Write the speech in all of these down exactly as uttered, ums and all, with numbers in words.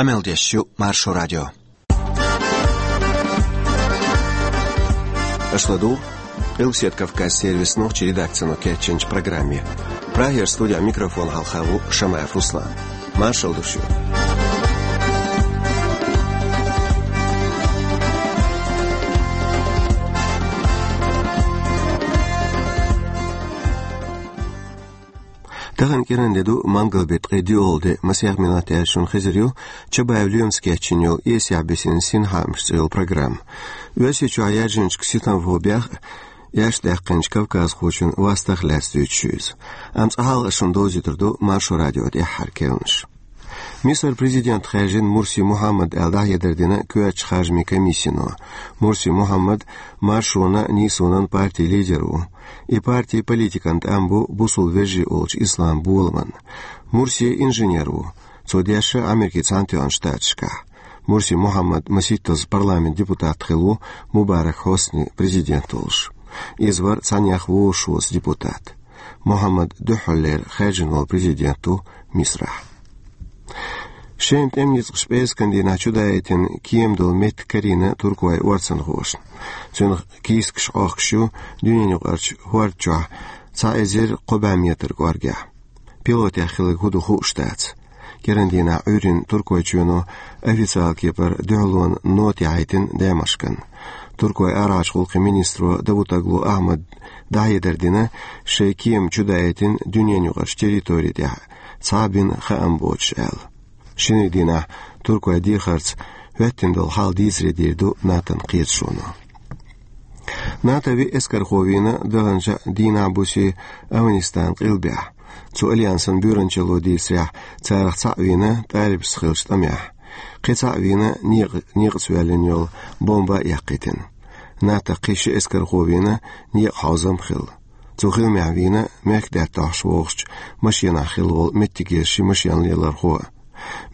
Къамел деш ю Маршо радио. Аша ладугӀу Къилбаседа Кавказ сервисан нохчийн редакцино кечйинчу программе. Прагера студин микрофон хьалха ву Шамаев Руслан. Маршалла ду шуьга. Тахана кӀиранде ду, мангал беттан ткъе диъалгӀа де, масех минот яьлча шуна хезар ю Чабаев Лоьмас кечйина йолу «Эсехь бисина синхаамаш» цӀе йолу программа. Оьрсийчохь яьржинчу синтеман бехах а, иштта даьккхинчу кавказхочун вастах а лаьцна дуьйцуш ю иза. Амма цкъа хьалха шуна довзуьйтур ду Маршо радион тӀаьххьара керланаш. Мисар президент хаьржина Мурси Мухьаммад аьлла дӀахьедар дина коьртачу харжамийн комиссино. Мурси Мухьаммад Маршонан а, Нийсонан а партин лидер ву. И парти политикан тӀам бу бусалба вежарий олучу ислам боламан. Мурси инженер ву. Цо дешна Америкин Цхьаьнатоьхначу Штаташкахь. Мурси Мухьаммад масийттазза парламентан депутат хилла ву Мубарак Хьосни президент волуш. Иза вара цхьаннех вовшахвоьзна депутат. Мухьаммад дуьххьарлера хаьржина волу президент ву Мисарахь. Шема тӀеман ницкъаша пӀераскан дийнахь чудаийтина кема долу меттиг карийна туркойн орцанхошна. Цуьнан кийсакаш Ӏохкуш ю дуьненаюкъарчу хӀорда чохь цхьа эзар кхо бӀе метр кӀоргехь. Пилотех хилларг хӀун ду хууш дац. КӀиран дийнахь Ӏуьйранна Туркойчоьно официалан кепара дуьхьалонан нота яхьийтина Дамаскана. Туркойн арахьарчу гӀуллакхийн министро Давутоглу Ахьмада дӀахьедар дина, шайн кема чудаийтина дуьненаюкъарчу территори тӀехь цхьа а бина хаам боцуш аьлла. Шинарин дийнахь туркойн дехарца хӀоьттина долу хьал дийцаре дийр ду НАТОн кхеташоно. НАТОн виъ эскархо вийна даханчу дийнахь-бусе Афганистанан къилбехь. Цу альянсан буьйранчалло дийцарехь, царах цхьаъ вийна ТӀалибашца хиллачу тӀамехь. Кхин цхьаъ вийна некъа-, некъаца воьллина йолу бомба а эккхийтина. НАТОн кхин ши эскархо вийна некъан хьовзам а хилла. Цу хиламехь вийна мехкдаьтта дохьуш вогӀучу машенахь хилла волу меттигера ши машенан лелорхо а.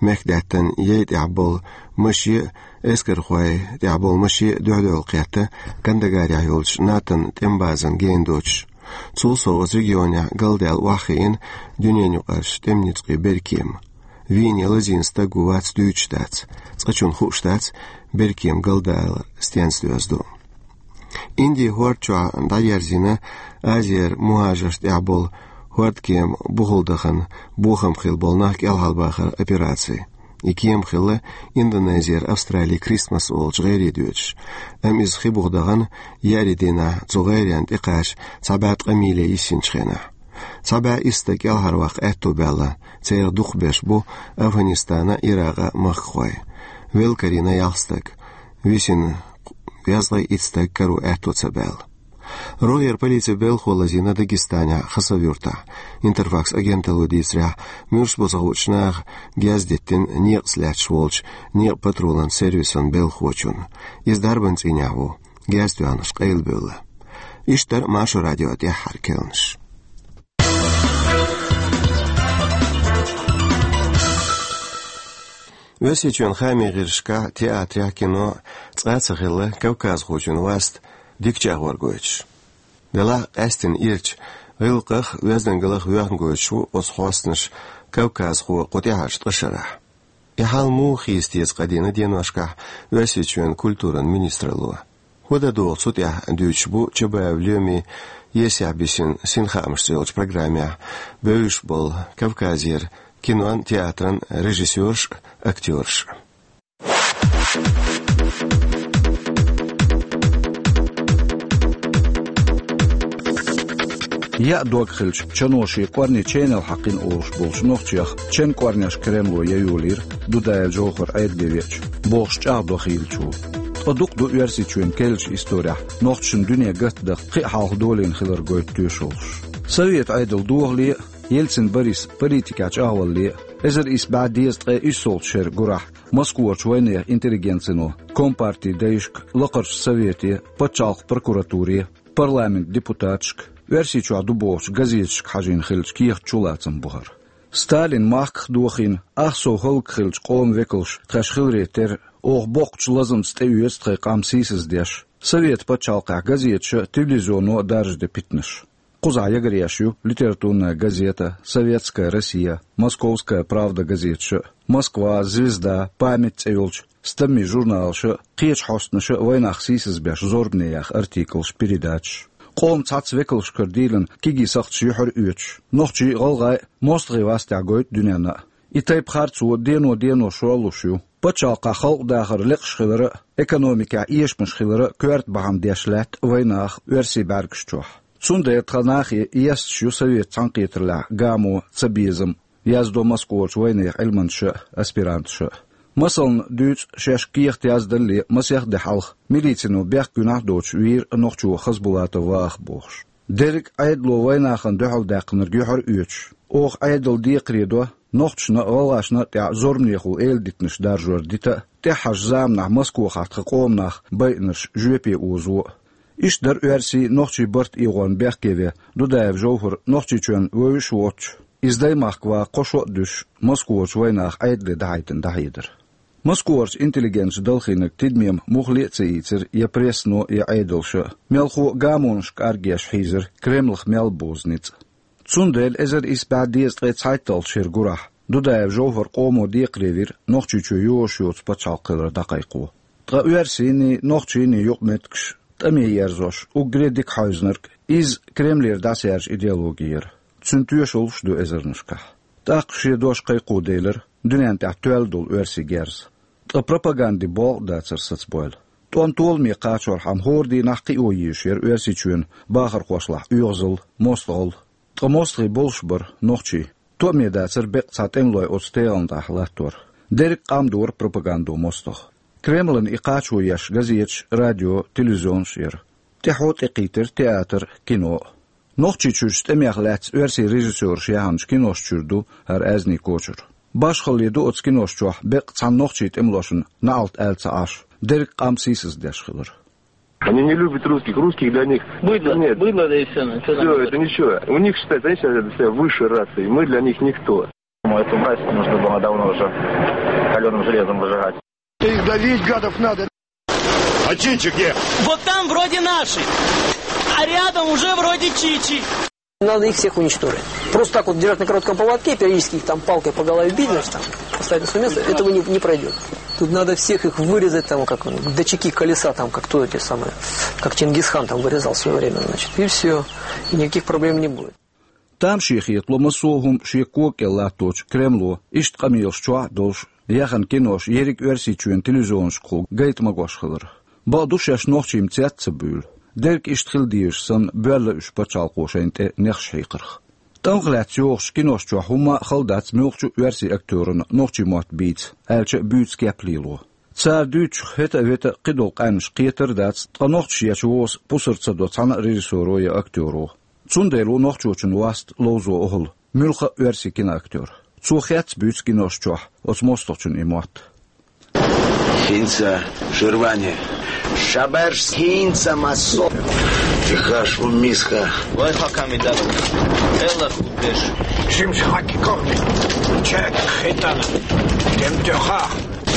Мехкдаьттан яй тӀехь болу маше а, эскархой тӀехь болу маше а дуьхь-дуьхьал кхетта, Кандагарехь йолчу НАТОн тӀеман базана гена доцуш. Цул сов оцу регионехь галдаьлла охьахиъна дуьненаюкъарчу тӀеман ницкъийн беркема. Вийна я лазийна стаг ву вац дуьйцуш дац. Цкъачунна хууш дац, беркема галдалар стенца доьзна ду. Индин хӀорда чохь дӀаерзийна Азера мухӀажаршна тӀехь болу хӀордкема бухахь дахана бохам хилла болу нах кӀелхьарбахаран операци. И кема хилла Индонезера Австралин Кристмас олучу гӀере доьдуш. Амма иза хи бухахь дахана еарин дийнахь цу гӀеренна тӀекхача цхьа бӀе ткъа миле йиссинчу хенахь. Цхьа бӀе исс стаг кӀелхьарваккха аьтто баьлла, церан дукхахберш бу Афганистанан, Иракъан махкахой. Велла карийна ялх стаг. Висина язткъе итт стаг каро аьтто ца баьлла. РогӀера полицин белхахо лазийна Дагестанехь Хасавюртахь. Интерфакс агенталло дийцарехь, муьрш бу ца хуучу наха герз диттина некъаца лаьтташ волчу некъан патрулан сервисан белхахочунна. Иза дарбан цӀийнехь ву, герз тоьхнарш къайлабевлла. Иштта дара Маршо радион тӀаьххьара керланаш. Оьрсийчоьнан хаамийн гӀирсашкахь, театрехь, кино цкъа а ца хилла кавказхочун васт дика чӀагӀор гойтуш. Делахь а къаьстина ирча, гӀиллакхах а, оьздангаллах а воьхна гойтуш ву оцу хьостанаша кавказхо кху тӀаьхьарчу ткъа шарахь. И хьал муха хийца деза къадийна деношкахь Оьрсийчоьнан культуран министралло? ХӀун дан догӀу цу тӀехь, дуьйцуш бу Чабаев Лоьмин «Есехь бисина синхаамаш» цӀе йолчу программехь бевзаш болу Кавказера кинон, театран режиссерш а, актёрш а. Яа дог хилча, чано шен кӀорни ченал хьаькхина олуш болчу нохчех чен кӀорнеш Кремло яйолийра Дудаев Джовхар Ӏедале веача, бохуш чӀагӀдо хийлачо. Ткъа дукха ду Оьрсийчоьнан керлачу исторехь нохчашна дуьне гатдаха кхин а хьалха долийна хилар гойту тоьшаллаш. Совет Ӏедал дохале а, Ельцин Борис политикехь чӀагӀвалале а, эзар исс бӀе дезткъе иссолгӀачу шеран гурахь Москварчу вайнехан интеллигенцино, компартин дайшка, лакхарчу совете, пачхьалкхан прокуратуре, парламентан депутаташка, Оьрсийчохь ду бохучу газеташка хьажийна хиллачу кехат чулацам бу хӀара. Сталин махках дохийна, ах сов хӀаллакьхиллачу къоман векалш тхаьш хиларе терра, оха боккхачу лазамца тӀеоьцу тхайн къам сийсаздеш, совет пачхьалкхехь газеташа, телевизионо даржаде питанаш. Кхузахь ягаръеш ю «Литературная газета», «Советская Россия», «Московская правда» газеташа, «Москва», «Звезда», «Память» цӀе йолчу стаммийн журналаша, кхечу хьостанаша вайнах сийсазбеш зорбане яха артиклаш, передачаш. Къоман цхьацца векалшкара дийлина кегий сакхташ юьхьар а оьцуш, нохчий а, гӀалгӀай а, мостагӀий вастехь гойту дуьненна а. И тайпа харцо дено-дено шорлуш ю. Пачхьалкхехь халкъан дахар лекхаш хилар а, экономикехь эшамаш хилар а коьрта бахьана деш лаьтта вайнаха оьрсийн бӀаьргаш чохь. Цундела тхан нахе есташ ю совет цхьаьнакхетарлехь гамо, цабезам, яздо Москварчу вайнехан Ӏилманчаша а, аспиранташа а. Масална дуьйцу шаьш кехат яздалле масех де хьалха милицино бехк гуьнахь а доцуш вийра нохчо Хазбулатов Вахап бохуш. Дерриг а Ӏедало вайнахана дуьхьал даьккхинарг юьхьар а оьцуш, оха Ӏедал декхаре до, нохчашна а, гӀалгӀашна а тӀехь зорбанехула эладитанаш даржор дита а, тӀаьххьарчу заманахь Москвахь тхан къоман нах байинарш жоьпе озо а. Иштта дара оьрсийн, нохчийн барт эгӀорна бехке вен Дудаев Жовхар Нохчийчоьнна вевзаш а воццуш, иза Даймахка ваха кхо шо а дуьсуш, Москварчу вайнаха Ӏедале дӀахьайтина дӀахьедар. Москварчу интеллигенташа далхийнарг тидаме муххале а ца ийцира я прессано, я Ӏедалша, мелхо а гамонашка кӀаргеш хьийзира Кремлах мел бозу ницкъ. Цундела эзар исс бӀе дезткъе цхьайтталгӀачу шеран гурахь Дудаев Жовхар къомо декхаре вира Нохчийчоь йозуш йоцу пачхьалкх хилар дӀакхайкхо. Ткъа оьрсийний, нохчийний юкъаметтигаш тӀаме ерзош, уггаре дика хьаьвзинарг, иза Кремлера дӀасаьржа идеологи яра. Цуьнан тоьшаллаш а ду эзарнашкахь. ТӀаккха шен дош кхайкхо делира дуьнен тӀехь тоьлла долу оьрсийн герз. Ткъа пропагандин болх а дацара сацабойла. ТӀом толаме кхачорхьама хӀора дийнахь кхио езаш яра Оьрсийчоьнан бахархошлахь оьгӀазалла, мостагӀалла. Ткъа мостагӀий болуш бара нохчий. Тоъаме дацара беккъа цхьа тӀемалой оцу тегӀана тӀехь латтор. Дерриг а къам дора пропагандо мостагӀа. Кремлана и кхачо еш газеташ, радио, телевизионаш а яра. ТӀаьхьо тӀекхийтира театр, кино а. Нохчийчуьрчу тӀемех лаьцна оьрсийн режиссёраша яьхначу киношна чуьра ду хӀара аьзнийн кочара. Башхалле ду оцу киношна чохь беккъа цхьана нохчийн тӀемалошна наӀалт аьлла ца Ӏаш, дерриг а къам сийсаздеш хилар. Они не любят русских, русских для них... Быдло, нет, быдло, да и всё, ну, чё там... Всё, говорить? Это ничего. У них считается, они считают себя высшей расой, мы для них никто. Поэтому власть нужно было давно уже калёным железом выжигать. Их давить, гадов, надо. А чичи где? Вот там вроде наши, а рядом уже вроде чичи. Надо их всех уничтожить. Просто так вот держать на коротком поводке, периодически их там палкой по голове бить, значит, там, поставить на своё место, этого не, не пройдёт. Тут надо всех их вырезать, там, как дотчаки колеса, там, как то эти самые, как Чингисхан там вырезал в своё время, значит, и всё. И никаких проблем не будет. Тамашийна хетало массо а хӀума шен кога кӀел латточу Кремло иштта къамелаш чохь а долуш, яьхна кинош ерриг Оьрсийчоьнан телевизионашкахула гайта магош хилар. Бакъду, шаьш нохчийн цец а ца буьйлу. Дерг иштта хила дезаш санна, боьлла уьш пачхьалкхо шайна тӀе нехаш хьийкхарх. ТӀамах лаьцна йохучу кинош чохь хӀумма а хала дац муьлххачу а оьрсийн актёрана нохчийн мотт бийца, аьлча а буьйцу кеп лело. Цара дуьйцучух хӀета а, вета а кхидолу къаьмнаш кхетар а дац, ткъа нохчаш ечу воса пусар ца до цхьана а режиссёро я актёро. Цундела ву нохчочун васт ловзо охьал муьлхха а оьрсийн киноактёр. Цо хец а буьйцу кинош чохь оцу мостагӀчун и мотт. ХӀинца ширвани. Шаберш хӀинца массо. Тихаш у миска. Вай хаками дадут. Элла худдеш. Шимш хаки кохни. Чек хитана. Тем тёха.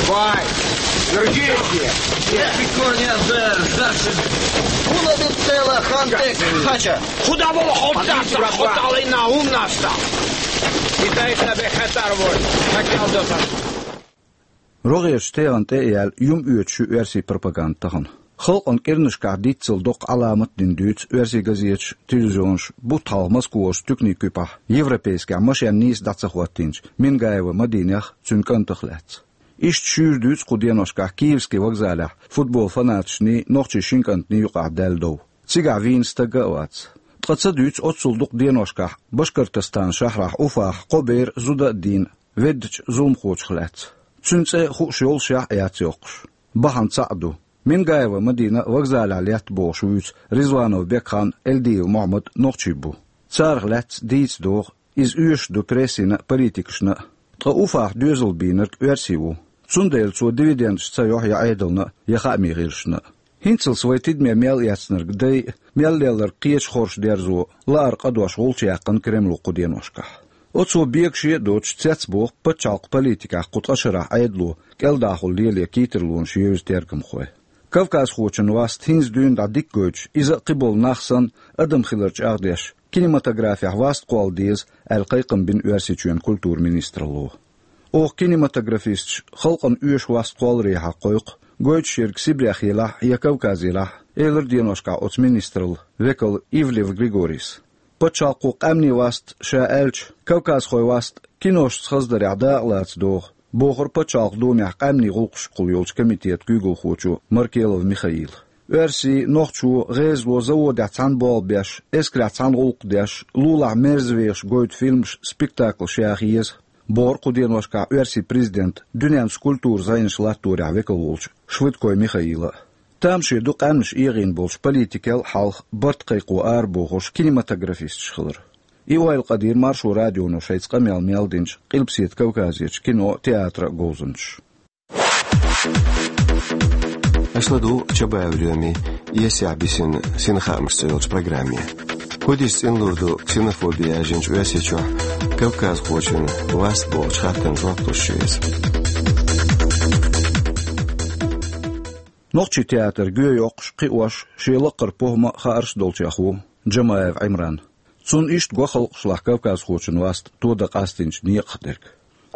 Вай! Георгий! Пиконя бер, Саша! Кула бит тела хантек хача! Худа бо хотта, хотта лайна умнаста! Китай сабе хатар вой, хакал досан. РогӀерчу тегӀана тӀе а яьлла, юм оьцуш ю оьрсийн пропаганда тахана. Халкъан кӀирнашкахь диццал доккха Ӏаламат а дина дуьйцу оьрсийн газеташ, телевизионаш бутт хьалха Москварчу туьканийн куьпахь европейскехь машен нийса дӀа ца хӀоттийначу Мингаева Мадинех, цуьнан кӀантах лаьцна. Иштта шуьйра дуьйцу кху деношкахь Киевский вокзалехь футбол фанаташний, нохчийн шин кӀантаний юкъахь даьлла дов. Цигахь вийна стаг а вац. Ткъа ца дуьйцу оццул дукха деношкахь Башкортостан шахьрахь Уфахь кхо бер зуда а дийна, веддачу зуламхочух лаьцна. Цуьнан цӀе хууш йолушехь а яц йоккхуш. Бахьана цхьаъ ду. Мингаева Мадина вокзалехь летта бохуш вуьйцу Ризванов Бекхан, Эльдиев Мохьмад нохчий бу. Царах лаьцна дийца догӀу, иза оьшуш ду прессина а, политикашна а. Ткъа Уфахь доьзал бийнарг оьрси ву. Цундела цо дивидендаш ца йохьу я Ӏедална а, я хаамийн гӀирсашна а. ХӀинцалц вай тидаме мел эцнарг дай а, мел лелларг кхечу хорша дерзо а лаар къа дош гӀулч яьккхина Кремло кху деношкахь. Оцо бегаше а доцуш цецбоху пачхьалкх политикехь кху ткъа шарахь Ӏедало кӀелдахула лело кхийтарлонаш евза тергамхой. Кавказхочун васт хӀинца дуьйна дӀа дика гойтуш, иза а кхиболу нах санна адам хилар чӀагӀдеш, кинематографехь васт кхолла деза, аьлла кхайкхам бина Оьрсийчоьнан культуран министралло. Оха кинематографисташ халкъана оьшу васт кхолларехьа кхойкху, гойтуш ерг Сибрех елахь я Кавказехь елахь, элира деношкахь оцу министралла векал Ивлев Григорис. Пачхьалкхо къаьмнийн васт ша аьлча, кавказхойн васт киношца хаздарехь дакъалаца догӀу, бохура Пачхьалкхан Думехь къаьмнийн гӀуллакхашкахула йолчу комитетан куьйгалхочо Маркелов Михаила. Оьрсийн, нохчийн, гӀезалойн заводехь цхьаьна болх беш, эскарехь цхьаьна гӀуллакх деш, лулахь мерза вехаш гойту фильмаш, спектаклаш яха еза, бохура кху деношкахь Оьрсийн президентан дуьненца культуран зӀенаш латторехь векал волчу Швыдкой Михаила. Тамаше ду къаьмнаш эгӀийна болчу политикел а хьалха барт кхайкхо арабохуш кинематографисташ хилар. И ойла къадийра Маршо радионо шайца къамел мел динчу Къилбаседа Кавказерчу кино а, театр а говзанчаша. Аша ладугӀу Чабаев Лоьмин «Эсехь бисина синхаамаш» цӀе йолчу программе. ХӀун дийца цӀена лур ду ксенофоби яьржинчу Оьрсийчохь кавказхочун васт бохучу хаттарна жоп луш ю иза. Нохчийн театр гоьйоккхуш, кхиош, шен лакхара похӀма а, хаарш а долчех ву Джамаев Ӏимран. Цунна иштта го халкъашлахь кавказхочун васт тодан къастийначу некъах дерг.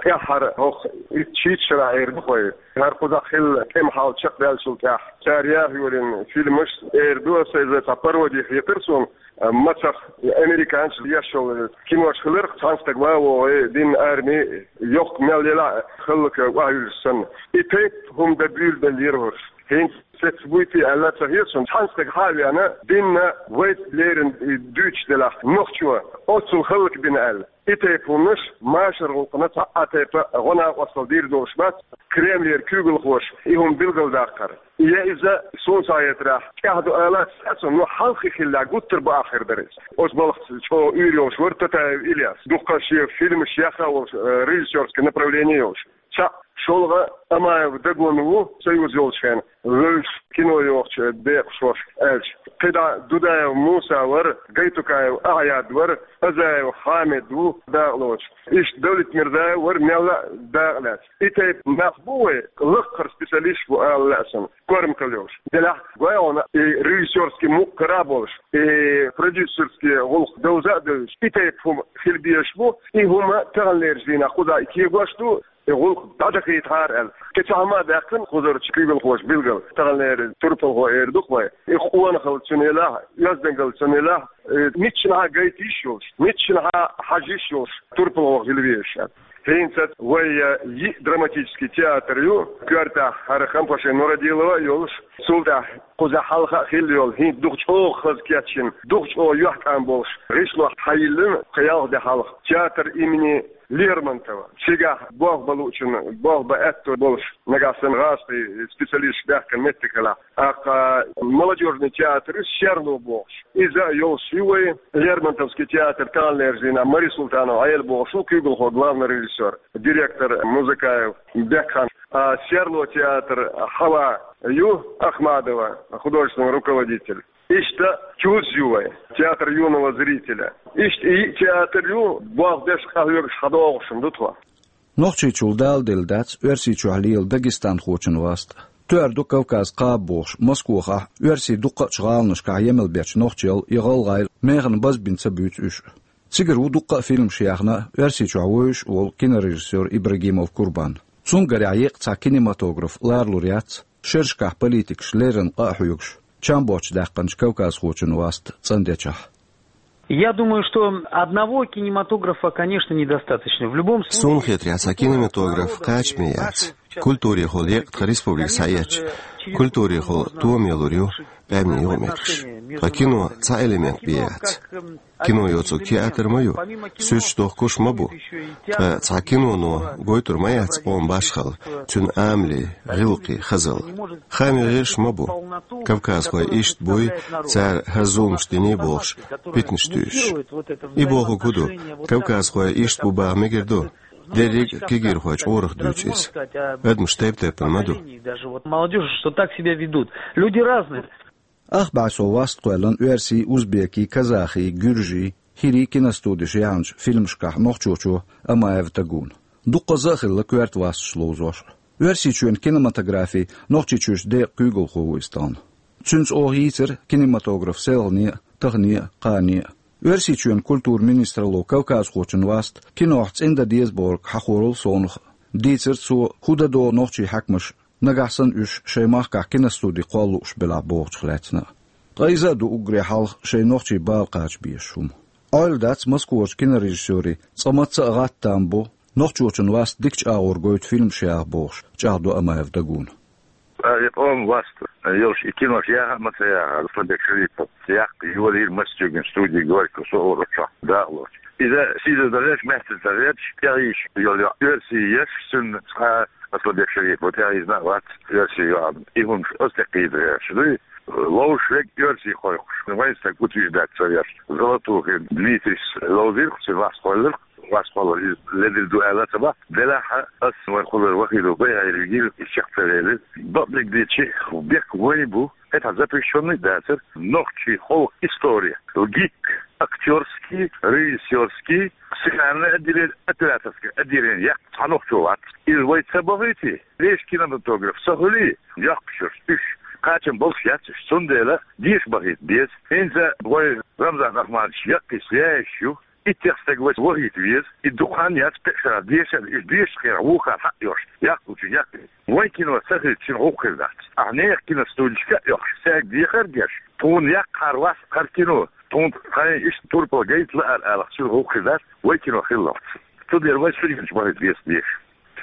ТӀаьххьара хӀокху итт-шийтта шарахь эр ду вай, хӀара кхузахь хилла тӀеман хьал чекхбаьллачул тӀаьхьа цара яха йолийна фильмаш, эр ду аса, иза цхьа пароди хетара суна, мацах американцаша еш йолу кинош хиларх, цхьана стага ма вогӀий динна арми, йохка мел елахь а хӀаллакьа охьаюьллуш санна. И тайпа хӀума дан буьйлабелла яра хӀорш. ХӀинца цецбуьйти аьлла ца хета суна, цхьана стага хьа а веана, динна вайца леррина и дуьйцуш делахь, нохчо оццул хӀаллакбина аьлла. И тайпа хӀуманаш машаран гӀуллакхна цхьа а тайпа гӀо-накъосталла дийр долуш бац, Кремлера куьйгалхоша и хӀума билгалдаккхар. Я иза, суна схьахетарехь, тӀаьхьа ду алаца, ну, хьалххе хиллехь, гуттар а бакъахь хир дара иза. Оцу балхаца чӀогӀа уьйр йолуш вара Татаев Ильяс. Дуккха шен фильмаш яха а волуш, э, режиссёрский направление йолуш. Цхьаъ, шолгӀа, Амаев Дагун ву, Союз йолчу хенахь вевзаш, кино йохучу декъашхошка аьлча. КхидӀа Дудаев Муса вара, Гайтукаев Ахьяд вара, Азаев Хьамид ву дакъалоцуш. Иштта Давлетмирзаев вара мелла а дакъа лаьцна. И тайпа нах бу вай, лакхара специалисташ бу ала лаьа суна, корматалла йолуш. Делахь гой хьуна, и режиссёрский мукъ кара а болуш, и продюсерский гӀуллакх довза а девзаш, и тайпа хӀума хила безаш бу, и хӀума таханлерчу дийнахь кхузахь и кегош ду, и гӀуллакх дӀадахийтахьара аьлла. Кхин цхьа хӀума а даьккхина кхузарчу куьйгалхоша билггал, таханлера турпалхо эр ду-кх вай. И къонахалла цунна елахь, оьздангалла цунна елахь, и миччанхьа гайта йиш йолуш, миччанхьа хьажа йиш йолуш турпалхо хила везаш. ХӀинца вай йиъ драматический театр ю, коьртехь хӀара Хампашин Нурадилова а йолуш, цул тӀаьхьа кхузахь хьалха а хилла йолу, хӀинца дукха чӀогӀа хаза кечйина, дукха чӀогӀа юьхькӀам болуш, гӀишло хьайиллина кхин ялх де хьалха, театр имени Лермонтова. Цигахь болх бан луучунна болх бан аьтто болуш, нагахь санна гӀазкхийн специалисташ баьхкина меттиг хилахь. ТӀаккха молодёжный театр ю, Серло бохуш. Иза а йолуш ю вай, Лермонтовский театр таханлерчу дийнахь Мари Султанова Ӏела бохуш ву куьйгалхо, главный режиссёр, директор Музыкаев Бекхан. А Серло театр Хьава ю, Ахмадова, художественный руководитель. Иштта ТЮЗ ю вай, театр юного зрителя. Иштта и театр ю, болх беш къахьоьгуш хьадогӀуш ду тхо. Нохчийчул даладелла дац Оьрсийчохь лела дагестанхочун васт. Тоьар ду Кавказ кхаба бохуш, Москвахахь, оьрсийн дуккхачу гӀаланашкахь емал бечу нохчел я гӀалгӀайл механа базбина ца буьйцу уьш. Цигара ву дуккха а фильмаш яьхна, Оьрсийчохь вевзаш а волу кинорежиссёр Ибрагимов Курбан. Цуьнгарехь еккъа цхьа кинематограф ларалур яц, шерашкахь политикаш леррина къа а хьоьгуш, чам боцчу даьккхинчу кавказхочун васт цӀандечахь. Я думаю, что одного кинематографа, конечно, недостаточно. В любом случае... Суна хетарехь, цхьа кинематограф кхачаме яц. Культурехула екъа тхан республика схьаэцча, культурехула томе лур ю къаьмнийн юкъаметтигаш. Ткъа кино цхьа элемент бен яц. Кино йоцург театр ма ю, суьрташ дохкуш ма бу. Ткъа цхьа киноно гойтур ма яц къоман башхалла, цуьнан амале, гӀиллакхе, хазалла. Хаамийн гӀирсаш ма бу. Кавказхой иштта буй, цара хӀара зуламаш диний бохуш, питанаш туьйсуш. И бохург хӀун ду, кавказхой иштта бу баха мегар ду? Дерриг а кегийрхой чкъурах дуьйцу иза. Адамаш тайп-тайпана ма ду. Даже вот молодёжь, что так себя ведут. Люди разные. Ах бӀе сов васт кхоьллина оьрсий, узбекий, казахий, гуьржий, хӀирий киностудеш яьхначу фильмашкахь нохчочо Амаев Тагуна. Дуккхаза а хилла коьрта васташ ловзош. Оьрсийчоьнан кинематографин Нохчийчуьрчу декъан куьйгалхо ву иза тахана. Цуьнца оха йийцира кинематограф селхане а, тахане а, кхане а. Оьрсийчоьнан культуран министралло кавказхочун васт кинохь цӀена дан деза бохург хьахорал совнаха. Дийцира цо, хӀун дан догӀу нохчийн хьаькамаша, нагахь санна уьш шайн махкахь киностуди кхоллалуш белахь бохучух лаьцна а. Ткъа иза а ду уггаре хьалха шайн нохчийн бала кхача безаш хӀума. Ӏойла дац Москварчу кинорежиссерийн цкъа мацца а гӀатта там бу, нохчочун васт дикачу агӀор гойту фильмаш яха бохуш, чӀагӀдо Амаев Дагуна. А, и къоман васт йолуш, и кинош яха а ма ца яха, Асланбек Шарипов яккха йолийра Мостигин студи «Горький» со олучохь дакъалоцуш. Иза сийсаз ца гӀерташ, маьстина ца гӀерташ, тӀехьийзаш йолу йоӀ оьрсий еш, цуьнан цкъа Асланбек Шарипов тӀехьийзина а вац оьрсий йоӀ. И хӀумаш оцу тӀе кхийдина гӀерташ дуй. Ловзуш верг оьрсий кхойкхуш, вайн стаг утверждать ца веш. Золотухин Дмитрис ловзийра-кх, цуьнан васт кхоллира-кх, васт кхоллар иза ледара ду аьлла а ца боху. Делахь а ас вайн кхуллур Вахидов Байхьира вигира, и чекх ца велира. Бакъдерг дийцича, бехк вайн бу, хӀетахь запрещённый дацара, нохчийн халкъан истори, ГИТИК, актёрский, режиссёрский, сценарное отделение, операторское отделение яккха цхьа нохчо вац. Иза вай ца бахийтий, вешан кинематограф ца хуьлий, йоккхуш йолуш уьш, кхачам болуш яц уьш. Цундела деша бахийта беза. ХӀинца вай Рамзан Ахмадович яккхийчу яйаш ю. Иттех стаг вайца вахийта веза. И дукха хан яц, пхи шарахь, дешарна, уьш дешачу хенахь вукхара хьаъ йолуш, яккхалучун яккхий. Вайн кино ца хилча, цуьнан гӀуллакх хир дац. Ахьа нехан киностудишка а оьхуш, цаьрга дехар а деш, тхуна яккхахьара вац хӀара кино, тхуна тхайн иштта турпал гайта лаар алахь, цуьнан гӀуллакх хир дац, вайн кино хилалц. Цундела вай суьренаш бахийта веза деша.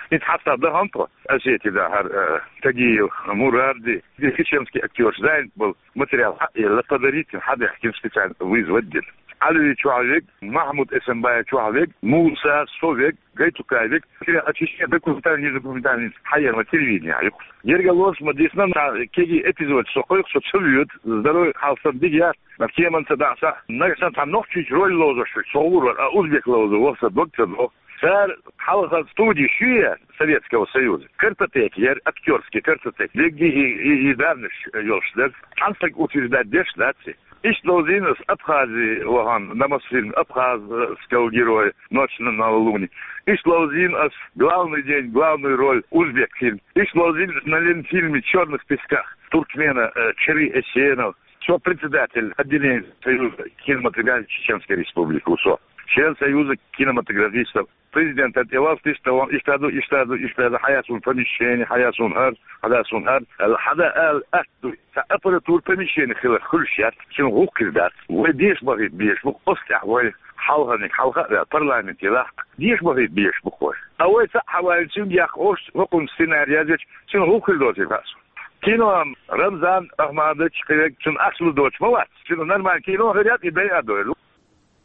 ХӀинца хьастагӀа дахана тхо, Осетия дахьара, э, Тагиев, Мурарди, и чеченский актёраш занят болу материал хьаъ елла, подарить дина, хьабаьхкина, специально вызвать дина. Ӏалиев чохь верг, Махьмуд Эсамбаев чохь верг, Муса, со верг, Гайтукаев верг, материал, а чечен документальный, недокументальный, хьаерма телевидение юкъа. Гергарлонаш ма дисна, на кеги эпизод со кхойкху, со ца воьду, здоровье хьалсам дигъяр, на кеманца дӀа а са, нагахь санна цхьа нохчийчу роль ловзош верг со гӀур вара, а узбек ловзо ваха сан дог ца доху. Цара хьалха студи ю яра Советского Союза. Картотека яра, актёрский картотека. Дегги и, и, и данныш йолуш дара. Цхьана стаг утверждать деш дац и. Иштта ловзийна ас Абхазии вахана, на Мосфильме, абхазского героя, «Ночь на новолуние». Иштта ловзийна ас «Главный день», главную роль, узбек фильм. Иштта ловзийна ас на Ленфильме «Чёрных песках» туркмена, э, Чери Эсенов. Со председатель отделения Союза кинематографии Чеченской Республики ву со. Член Союза кинематографистов. Президентан тӀе валлалц иштта ван, иштта ду, иштта ду, иштта ду, хьаяц вун помещение, хьаяц вун хӀара, хьаяц вун хӀара. Аьлла, хьада аьлла, атта ду. Сан аппаратура, помещение хилар хуьлуш яц, цуьнан гӀуллакх хир дац. Вай деша бахийта безаш бу, оцу тӀехь вай хьалханиг хьалха а ваьлла, парламенте лахка. Деша бахийта безаш бу вай. Ткъа вай цхьаъ хьаваьлча, цуьнга яккха ош, хӀокхунна сценарий язъеча, цуьнан гӀуллакх хир доций хаьа суна. Кино Рамзан Ахмадович кхин верг цуьнан ахча лур доцуш ма вац. Цуьнан нормально кино хир яц, и дайа а дойла.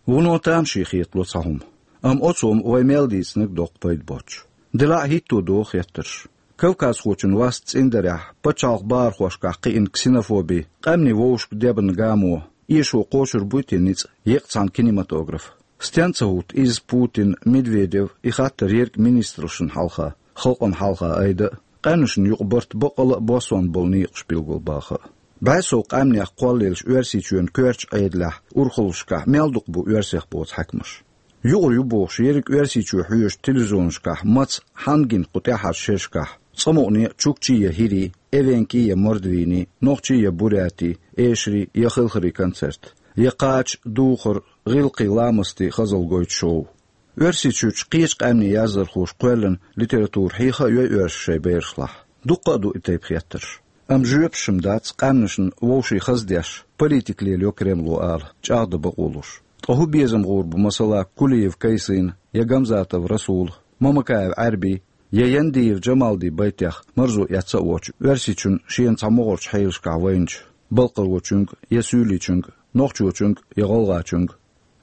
Вуно тамашийна хетало цхьа хӀума. Амма оцо-м вай мел дийцинарг доккха пайда боцуш. Делахь а хӀитто догӀу хеттарш. Кавказхочун васт цӀиндарехь, пачхьалкхан бахархошкахь кхиъна ксенофоби, къаьмнийн вовшашка дебарна гамо, эшо кхочур буй те ницкъ еккъа цхьана кинематографа? Стенна ца хӀутту иза Путин, Медведев, и хаттар ерриг министрашна хьалха, халкъана хьалха айда а, къаьмнашна юкъа барт баккъала а боссонна болу некъаш билгалбаха а? БӀе сов къаьмнех кхоллаеллачу Оьрсийчоьнан коьртачу Ӏедалехь урхаллашкахь мел дукха бу оьрсех боцу хьаькамаш? Юкъара ю бохуш, ерриг Оьрсийчоь хьоьжучу телевизионашкахь маца, хьанна гина кху тӀаьххьарчу шерашкахь, цкъа мукъане а чукчий я хӀирий, эвенкий я мордвийний, нохчий я бурятий, эшарий я хелхарий концерт, я кхача, духар, гӀиллакхий, ламастий хазалла гойту шоу. Оьрсийчуьрчу кхечу къаьмнийн яздархоша кхоьллина литература хьеха а йой оьрсаша шайн берашлахь? Дуккха а ду и тайпа хеттарш. Амма жоьпаш-м дац, къаьмнашна вовшийн хаза деш, политика лелайо Кремло ала, чӀагӀдан бакъо луш. Ткъа хӀун безам гӀур бу, масала, Кулиев Кайсина, я Гамзатов Расула, Мамакаев Ӏаьрбий, я Яндиев Джамалдин байтех марзо эцна а воцуш, Оьрсийчунна шена цхьа могӀарчу хьелашкахь вайначу балкхарочуьнга, я суьйличуьнга, нохчочуьнга, я гӀалгӀачуьнга?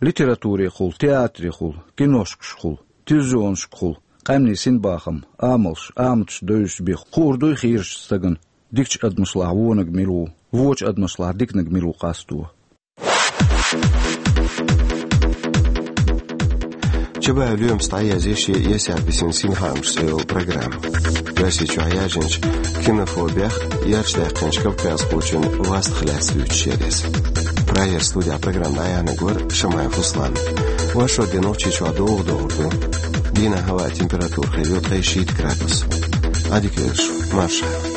Литературехула, театрехула, киношкашкахула, телевизионашкахула къаьмнийн синбахам, амалш, аматаш девзаш бен хуур дуй хийрачу стагана дикачу адамашлахь вониг мила ву, вочу адамашлахь диканиг мила ву къасто? Чабаев Лоьмас дӀаязъе шен «Эсехь бисина синхаамаш» цӀе йолу программа. Оьрсийчохь яьржинчу ксенофобех, ярташ даьккхинчу кавказхочун вастах лаьцна дуьйцуш яра иза. Прагера студехь программа дӀаяьхьнарг вара Шамаев Руслан. Оршот де Нохчийчохь догӀа догӀур ду. Дийнахь хӀаваан температура хир ю ткъе шийтта градус. Ӏэдыгэщ, мащхьэ.